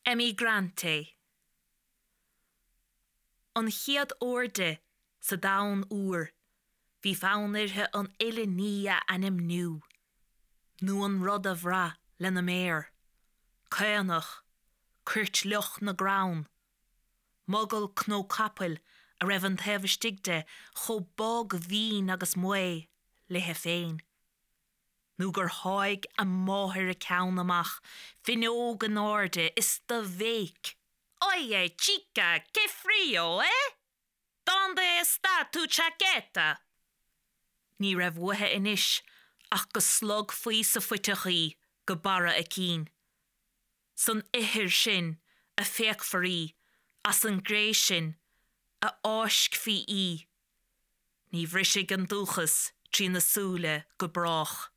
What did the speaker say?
Emigrante. An chéad uair di sa domhan úr bhí fonn uirthi an uile ní a ainmniú, nó an rud a bhrath lena méar, caonach, coirt fhliuch na gcrann, mogall cnó capaill a raibh an taobh istigh de chomh bog mhín agus maoth léi féin. nó gur sháigh a máthair a ceann amach fuinneog in airde is do bhéic, Oye, chica, qué frío, eh? Dónde está tu chaqueta? Ní raibh uaithi anois ach go slogfaí sa phuiteach í go barra a cinn. San ithir sin a phéacfar í, as an gcré sin a fháiscfí í. Ní bhrisfidh an dúchas trína súile go brách.